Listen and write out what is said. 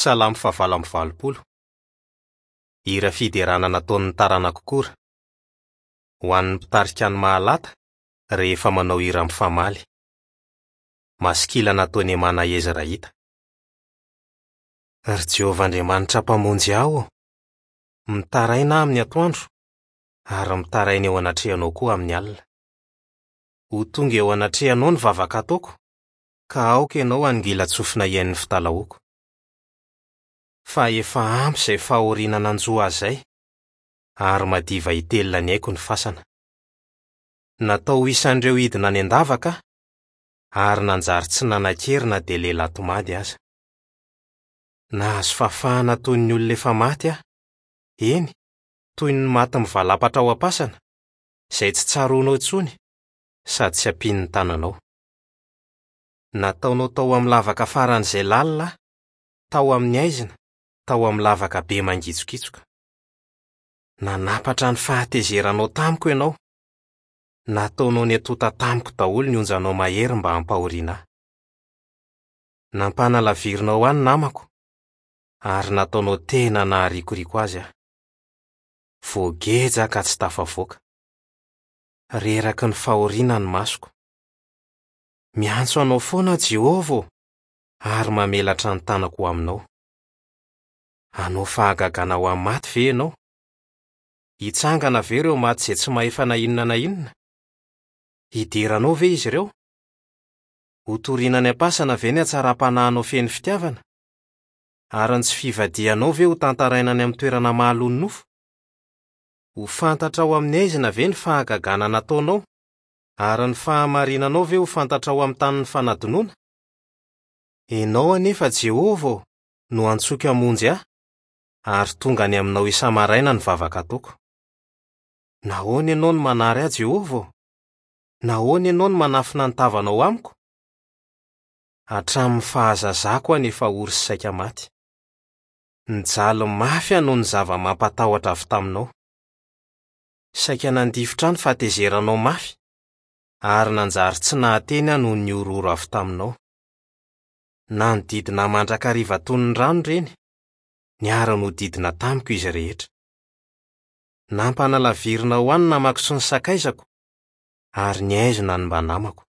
Salamo fahavalo amby valopolo. Hira fiderana nataon'ny taranak'i Kora. Ho an'ny mpitarika ny Mahalata, rehefa manao hira mifamaly. Maskila nataon'i Hemana Ezrahita. Ry Jehovah Andriamanitra Mpamonjy ahy ô, mitaraina aho amin'ny atoandro, ary mitaraina eo anatrehanao koa amin'ny alina. Ho tonga eo anatrehanao ny vavaka ataoko, ka aoka ianao hanongilan-tsofina hihaino ny fitalahoako. Fa efa ampy izay fahoriana nanjo ahy izay, ary madiva hitelina ny aiko ny fasana. Natao ho isan'ireo hidina any an-davaka aho, ary nanjary tsy nanan-kery na dia lehilahy tomady aza. Nahazo fahafahana toy ny olona efa maty aho, eny, toy ny maty mivalapatra ao am-pasana, izay tsy tsaroanao intsony sady tsy ampian'ny tananao. Nataonao tao amin'ny lavaka faran'izay lalina aho, tao amin'ny haizina, tao amin'ny lavaka be mangitsokitsoka. Nanapatra ny fahatezeranao tamiko ianao. Nataonao niatonta tamiko daholo ny onjanao mahery mba hampahoriana ahy. Nampanalavirinao ahy ny namako, ary nataonao tena naharikoriko azy aho. Voageja aho ka tsy tafavoaka. Reraky ny fahoriana ny masoko. Miantso anao foana aho Jehovah ô, ary mamelatra ny tanako ho aminao. Hanao fahagagana ho an'ny maty ve ianao? Hitsangana ve ireo maty izay tsy mahefa na inona na inona? Hidera anao ve izy ireo? Hotorina any am-pasana ve ny hatsaram-panahinao feno fitiavana? Ary ny tsy fivadihanao ve hotantaraina any amin'ny toerana mahaloa ny nofo? Ho fantatrao amin'ny haizina ve ny fahagagana nataonao, ary ny fahamarinanao ve ho fantatrao amin'ny tanin'ny fanadinoana? Ianao anefa, Jehovah ô, no antsoiko hamonjy ahy, ary tonga any aminao isa-maraina ny vavaka ataoko. Nahoana ianao no manary ahy, Jehovah ô? Nahoana ianao no manafina ny tavanao amiko? Hatramin'ny fahazazako aho no efa ory sy saika maty. Nijaly mafy aho noho ny zava-mampatahotra avy taminao. Saika nandifotra ahy ny fahatezeranao mafy, ary nanjary tsy nahateny aho noho ny horohoro avy taminao. Nanodidina ahy mandrakariva toy ny rano ireny, niara-nodidina tamiko izy rehetra. Nampanalavirinao ahy ny namako sy ny sakaizako, ary nihaizina ny mba namako.